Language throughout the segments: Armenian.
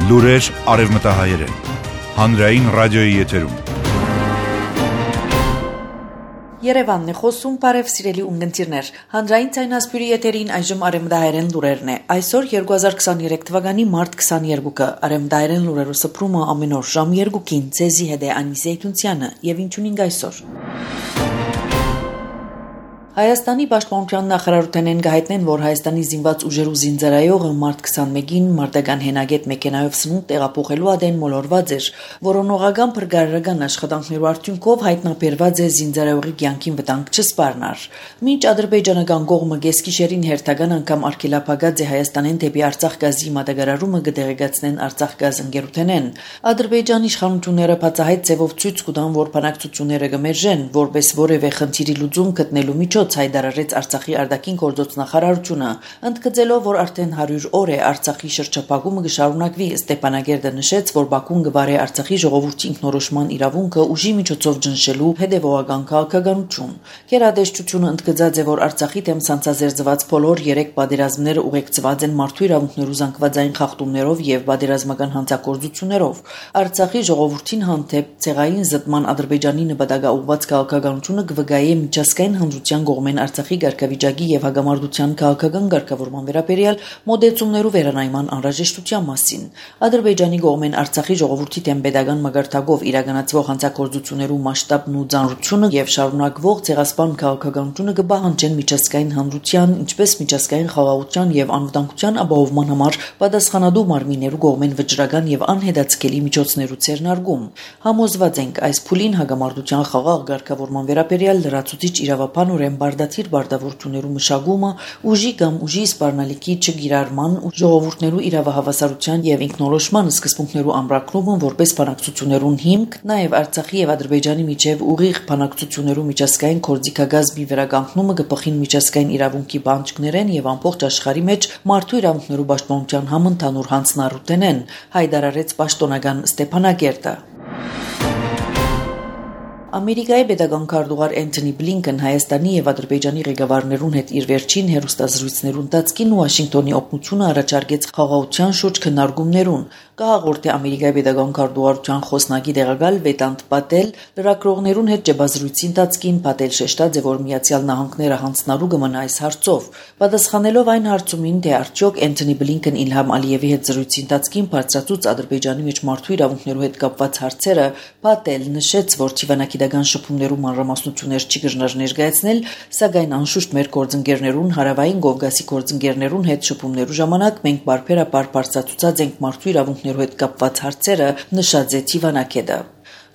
Լուրեր արևմտահայերեն, հանրային ռադիոյի եթերում։ Երևանն է խոսում, բարև սիրելի ունգընտիրներ, հանրային ցայնասպյուրի եթերին այժմ արևմտահայերեն լուրերն է։ Այսօր 2023 թվականի մարտ 22-ը արևմտահայերեն լուրերով սփռումը ամեն օր ժամ 2-ին ցեզի հետ է Անիսե Թունցյանը եւ ինչունին այսօր։ Հայաստանի պաշտպանության նախարարութենեն գահետնեն, որ Հայաստանի զինված ուժերու զինծառայողը մարտ 21-ին մարտական հենագետ մեքենայով սնունդ տեղափոխելու ադեն մոլորված էր, որոնողական փրկարարական աշխատանքներու արդյունքով հայտնաբերված է զինծառայողի կյանքին վտանգ չսպառնար։ Մինչ ադրբեջանական կողմը գեսկիշերին հերթական անգամ արգելափակած է Հայաստանեն դեպի Արցախ գազի մատակարարումը կդեղեկացնեն Արցախ գազ ընկերութենեն, Ադրբեջանի իշխանությունները բացահայտ ձևով ցույց կտան, որ բանակցությունները կմերժեն, որպես որևէ խնդիրի լուծում գտնելու միջոց հայտարարեց Արցախի արտաքին գործոց նախարարությունը, ընդգծելով, որ արդեն 100 օր է Արցախի շրջափակումը կշարունակվի։ Ստեփանագերդը նշեց, որ Բաքուն կվարի Արցախի ժողովրդի ինքնորոշման իրավունքը ուժի միջոցով ճնշելու հետևողական քաղաքականություն։ Գերատեսչությունը ընդգծած է, որ Արցախի դեմ սանձազերծված բոլոր 3 պատերազմները ուղեկցված են մարդու իրավունքներու զանգվածային խախտումներով եւ պատերազմական հանցագործություններով։ Արցախի ժողովրդին հանդեպ ցեղային զտման Ադրբեջանի նպատակաուղղված քաղաքականությունը կվգայի միջազգային հանրության կողմեն Արցախի ղեկավարի եւ հագամարտության քաղաքական ղեկավարման վերաբերյալ մոդեցումներու վերանայման անհրաժեշտության մասին։ Ադրբեջանի կողմեն Արցախի ժողովրդի դեմ pedagogan մագարտակով իրականացվող հանցագործություններու մասշտաբն ու ծանրությունը եւ շարունակվող ցեղասպան քաղաքականությունը կբահանջեն միջազգային հանրության, ինչպես միջազգային խաղաղության եւ անվտանգության ապահովման համար պատասխանատու մարմիններու կողմեն վճռական եւ անհետաձգելի միջոցներու ցերնարգում։ Համոզված ենք, այս փուլին հագամարտության խաղաղ ղեկավարման վերաբերյալ լրացուցիչ իրավապանորեն բարդաթիր բարդավորություններու մշակումը, ուժի կամ ուժի սպառնալիքի չգիրառման ու ժողովուրդներու իրավահավասարության եւ ինքնորոշման սկզբունքներու ամրագրումը որպես բանակցություններուն հիմք, նաեւ Արցախի եւ Ադրբեջանի միջև ուղիղ բանակցություններու միջազգային կորձիկագազմի վերականգնումը կփոխին միջազգային իրավունքի բանջկներեն եւ ամբողջ աշխարհի մեջ մարդու իրավունքներու պաշտպանության համընդհանուր հանձնառութենեն, հայտարարեց պաշտոնական Ստեփանագերդը։ Ամերիկայի pedagogan քարտուղար Էնթոնի Բլինքեն Հայաստանի եւ Ադրբեջանի ղեկավարներուն հետ իր վերջին հերոստազրույցներուն ընթացքին Վաշինգտոնի օգնությունը առաջարկեց խաղաղության շուրջ քննարկումներուն։ Կհաղորդի Ամերիկայի pedagogan քարտուղարության խոսնակի տեղակալ Վետանտ Պատել լրագրողներուն հետ ջբազրույցի ընթացքին Պատել շեշտած է, որ Միացյալ Նահանգները հանձնարարու կմնա այս հարցով։ Պատասխանելով այն հարցումին, թե արդյոք Էնթոնի Բլինքեն Իլհամ Ալիևի հետ զրույցի ընթացքին բարձրացուց Ադրբեջանի մեջ մարդու իրավունքներու հետ կապված հարցերը, Պատել նշեց, որ Չիվանակիդական շփումներու մանրամասնություններ չի գժներ ներկայացնել, սակայն անշուշտ մեր գործընկերներուն հարավային Կովկասի գործընկերներուն հետ շփումներու ժամանակ մենք բարբերաբար բարձրացուցած ենք մարդու իրավունքներու հետ կապված հարցերը, նշած է Չիվանակեդը։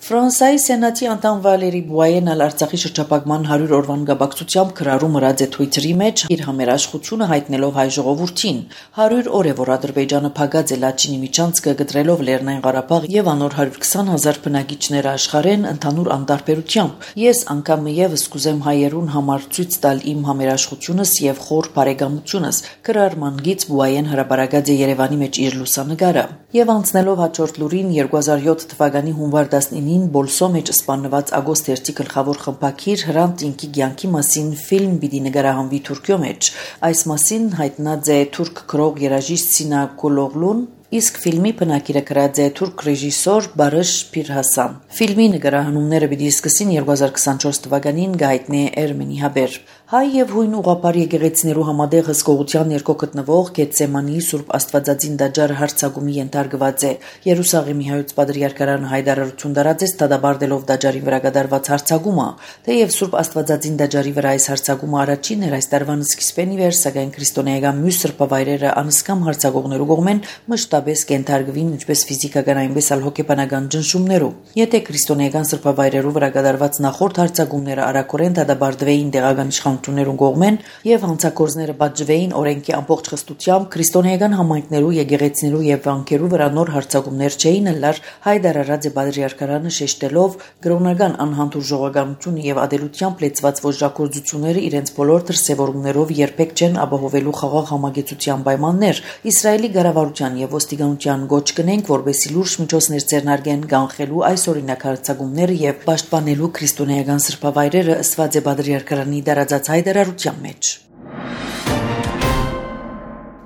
Ֆրանսիայի Սենատի անդամ Վալերի Բուայենն Արցախի շրջափակման 100 օրվան գաբակցությամբ քրարում ըրած է Twitter-ի մեջ իր համերաշխությունը հայտնելով հայ ժողովրդին։ 100 օր է, որ Ադրբեջանը փակած է Լաչինի միջանցքը գտրելով Լեռնային Ղարաբաղ եւ անոր 120,000 բնակիչները աշխարհեն ընդհանուր անտարբերությամբ։ Ես անգամ եւս կուզեմ հայերուն համար ցույց տալ իմ համերաշխությունս եւ խոր բարեկամությունս։ Քրարման գից Բուայեն հրապարակած է Երևանի մեջ իր լուսանկարը։ Եվ անցնելով հաջորդ լուրին 2007 թվականի հունվար 19-ին Բոլսո մեջ սպանված Ագոստ 1-ի գլխավոր խմբակիր Հրանտ Ինքի կյանքի մասին ֆիլմ պիտի նկարահանվի Թուրքիո մեջ։ Այս մասին հայտնած է թուրք գրող երաժիշտ Սինա Կոլօղլուն, իսկ ֆիլմի բնակիրը գրած է թուրք ռեժիսոր Բարış Pirhasan։ Ֆիլմի նկարահանումները պիտի սկսին 2024 թվականին գայտնի Էրմենի Հաբեր։ Հայ եւ հույն ուղղափառ եկեղեցիներու համատեղ հսկողության ներքո գտնվող Գեթսեմանի Սուրբ Աստվածածին տաճարը հարձակումի ենթարկված է։ Երուսաղեմի հայոց պատրիարքարանը հայտարարություն տարածեց դադարելով տաճարի վրա կատարված հարձակումը, թեև Սուրբ Աստվածածին տաճարի վրա այս հարձակումը առաջին էր այս տարվան սկիզբին ի վեր, սակայն քրիստոնեական մյուս սրբավայրերը անսկամ հարձակողներու կողմեն մշտապես կենթարկվին ինչպես ֆիզիկական այնպես էլ հոգեբանական ճնշումներով։ Եթե քրիստոնեական սրբավայրերու վրա կատարված նախորդ հարձակումները արագորեն դադարվեին տեղական իշխանություններուն կողմեն եւ հանցագործները բաժվեին օրենքի ամբողջ խստությամբ, քրիստոնեական համայնքներու, եկեղեցիներու եւ վանքերու վրա նոր հարձակումներ չէին ըլլար, հայտարարած է պատրիարքարանը շեշտելով կրոնական անհանդուր ժողովականությունը եւ ադելությամբ լեցված ոչրագործությունները իրենց բոլոր դրսեւորումներով երբեք չեն ապահովելու խաղաղ համագեցության պայմաններ։ Իսրայելի կառավարության եւ ոստիկանության գոչ կնենք, որբեսի լուրջ միջոցներ ձեռնարկեն կանխելու այս օրինակ հարձակումները եւ պաշտպանելու քրիստոնեական սրբավայրերը, ըսված է պատրիարքարանի դարածած հայտարարության մեջ։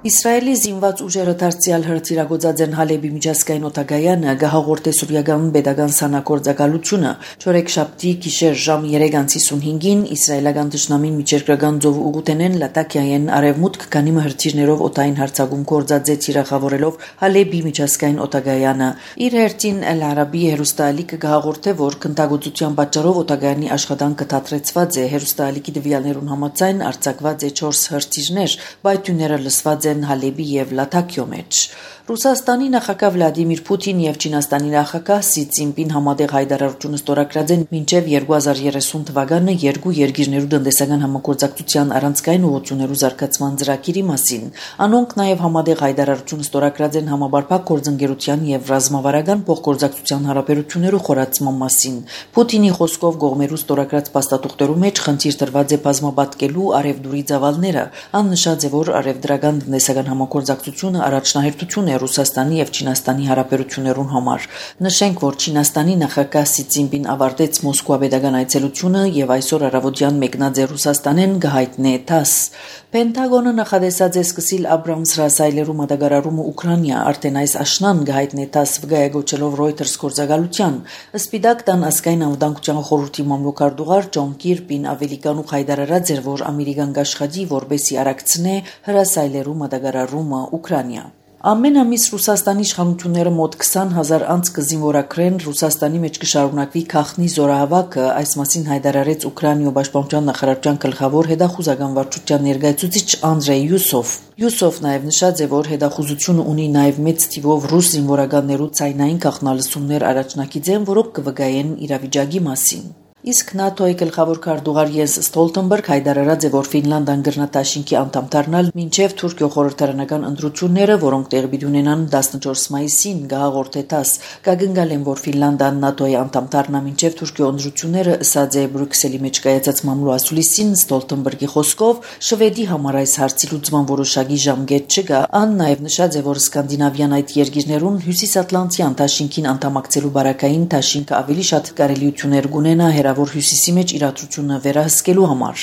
Իսրայելի զինված ուժերը դարձյալ հրթիռագործած են Հալեբի միջազգային օդագայանը գահաղորդե սուրիական պետական սանագործակալությունը չորեքշաբթի գիշեր ժամ 3:55-ին իսրայելական դաշնամին միջերկրական ծով ուղուտենեն Լատակիայեն արևմուտք քանի հրթիռներով օդային հարձակում կործածե թիրախավորելով Հալեբի միջազգային օդագայանը իր հերթին Էլ Արաբի հերոստալիկը գահաղորդե որ քննադատության պատճառով օդագայանի աշխատանքը դադրեցված է հերոստալիկի դվյալներուն համաձայն արձակված է 4 հրթիռներ բայթյունները լսված Հալեբի եւ Լատակիո մեջ Ռուսաստանի նախագահ Վլադիմիր Պուտին եւ Չինաստանի նախագահ Սի Ցինպին համատեղ հայտարարություն ստորագրած են մինչեւ 2030 թվականը երկու երկիրներու տնտեսական համագործակցության առանցքային ուղղություններու զարգացման ծրագիրի մասին անոնք նաեւ համատեղ հայտարարություն ստորագրած են համաբարփակ գործընկերության եւ ռազմավարական փոխգործակցության հարաբերություններու խորացման մասին Պուտինի խոսքով գողմերու ստորագրած փաստաթուղթերու մեջ խնդիր դրված է բազմապատկելու արևդուրի ծավալները աննշած է որ արևդրական տնտեսական համագործակցությունը առաջնահերթություն Ռուսաստանի եւ Չինաստանի հարաբերություններուն համար նշենք որ Չինաստանի նախագահ Սի Ցինպին ավարտեց Մոսկվա պետական այցելությունը եւ այսօր առավոտյան մեկնած է Ռուսաստանեն գահիտնե ՏԱՍ Պենտագոնը նախադեсած է սկսիլ Աբրամս ռասայլերու մատակարարումը Ուկրաինա արդեն այս աշնան գահիտնե ՏԱՍ վգայագոչելով Reuters գործակալության Սպիտակ տան ասկային անվտանգության խորհրդի մամլոքարտուղար Ջոն Կիրբին ավելի կանուխ հայտարարած էր որ ամերիկան կաշխատի որբեսի արագցնե հրասայլերու մատակարարումը Ուկրաինա Ամեն ամիս Ռուսաստանի իշխանությունները մոտ 20,000 անձ կզինվորակրեն Ռուսաստանի մեջ կշարունակվի քաղտնի զորահավաքը այս մասին հայտարարեց Ուկրաինայի պաշտպանության նախարարության գլխավոր հետախուզական վարչության ներկայացուցիչ Անդրեյ Յուսով նաև նշած է որ հետախուզությունը ունի նաև մեծ թիվով ռուս զինվորականներու ցայնային քաղաքնալսումներ առաջնակիցեն որոնք կվկայեն իրավիճակի մասին Իսկ ՆԱՏՕ-ի գլխավոր քարտուղար Յենս Ստոլտենբերգ հայտարարած է, որ Ֆինլանդիան գրնատաշինքի անդամ դառնալ մինչև Թուրքիո խորհրդարանական ընտրությունները, որոնք տեղի ունենան 14 մայիսին, գահաղորդե ՏԱՍ, կգնգալեն, որ Ֆինլանդիան ՆԱՏՕ-ի անդամ դառնա մինչև Թուրքիո ընտրությունները, ըսած է Բրյուսելի մեջ կայացած մամլո ասուլիսին Ստոլտենբերգի խոսքով, Շվեդի համար այս հարցի լուծման որոշակի ժամկետ չկա, ան նաև նշած է, որ սկանդինավյան այդ երկիրներուն Հյուսիսատլանտյան դաշինքին անդամակցելու բարակային դաշինքը ավելի շատ կարելիություններ կունենա որ հյուսիսի մեջ իրադրությունը վերահսկելու համար։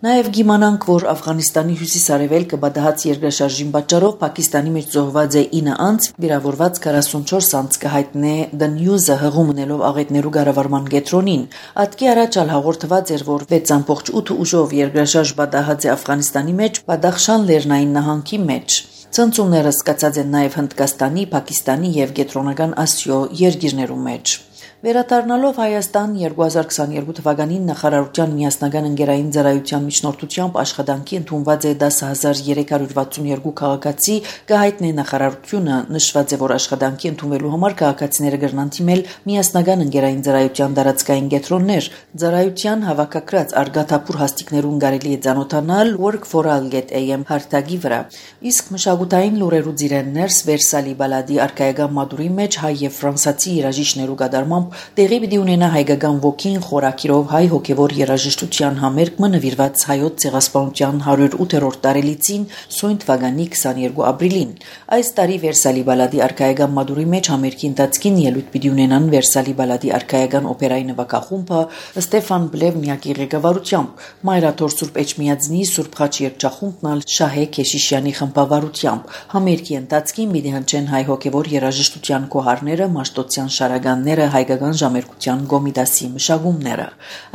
Նաև գիմանանք, որ Աֆղանիստանի հյուսիս-արևելքը բադահած երկրաշարժին պատճառով Պակիստանի մեջ զոհված է 9 անձ, վիրավորված 44 անձ կհայտնե The News-ը հղում ունելով աղետներու կառավարման կենտրոնին։ Ատկի առաջ հաղորդված էր, որ 6.8 ուժով երկրաշարժ բադահած է Աֆղանիստանի մեջ Բադախշան լեռնային նահանգի մեջ։ Ցնցումները սկսած են նաև Հնդկաստանի, Պակիստանի եւ Կենտրոնական Ասիո երկիրներու մեջ։ Վերադառնալով Հայաստան 2022 թվականին նախարարության միասնական ընկերային ծառայության միջնորդությամբ աշխատանքի ընդունված է 10,362 քաղաքացի կհայտնե նախարարությունը նշված է որ աշխատանքի ընդունվելու համար քաղաքացիները կգրնան թիմել միասնական ընկերային ծառայության տարածքային կենտրոններ ծառայության հավաքակրած արգաթափուր հաստիկներուն կարելի է ծանոթանալ work4all.am հարթակի վրա իսկ մշակութային լուրերու ծիրեններս Վերսալի բալադի արքայական մադուրի մեջ հայ եւ ֆրանսացի երաժիշտներու կատարմամբ տեղի պիտի ունենա հայկական ոգին խորակիրով հայ հոգևոր երաժշտության համերգը նվիրված հայոց ցեղասպանության 108-րդ տարելիցին սույն թվականի 22 ապրիլին այս տարի Վերսալի բալադի արքայական մադուրի մեջ համերգի ընթացքին ելույթ պիտի ունենան Վերսալի բալադի արքայական օպերայի նվագախումբը Ստեֆան Բլևնյակի ղեկավարությամբ Մայրաթոր Սուրբ Էջմիածնի Սուրբ Խաչ երգչախումբն Շահե Քեշիշյանի խմբավարությամբ համերգի ընթացքին պիտի հնչեն հայ հոգևոր երաժշտության կոհարները Մաշտոցյան շարականները հայկական ժամերկության գոմիդասի մշակումները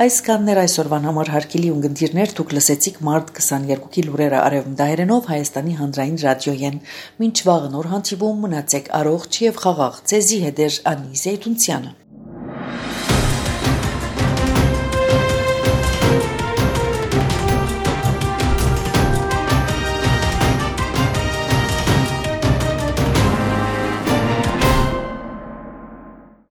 այս կաններ այսօրվան համար հարկելի ունգընտիրներ դուք լսեցիք մարտ 22-ի լուրերը արևմտահայերենով Հայաստանի հանրային ռադիոյեն մինչ վաղ նոր հանդիպում մնացեք առողջ եւ խաղաղ ցեզի հետեր Անի Զեյթունցյանը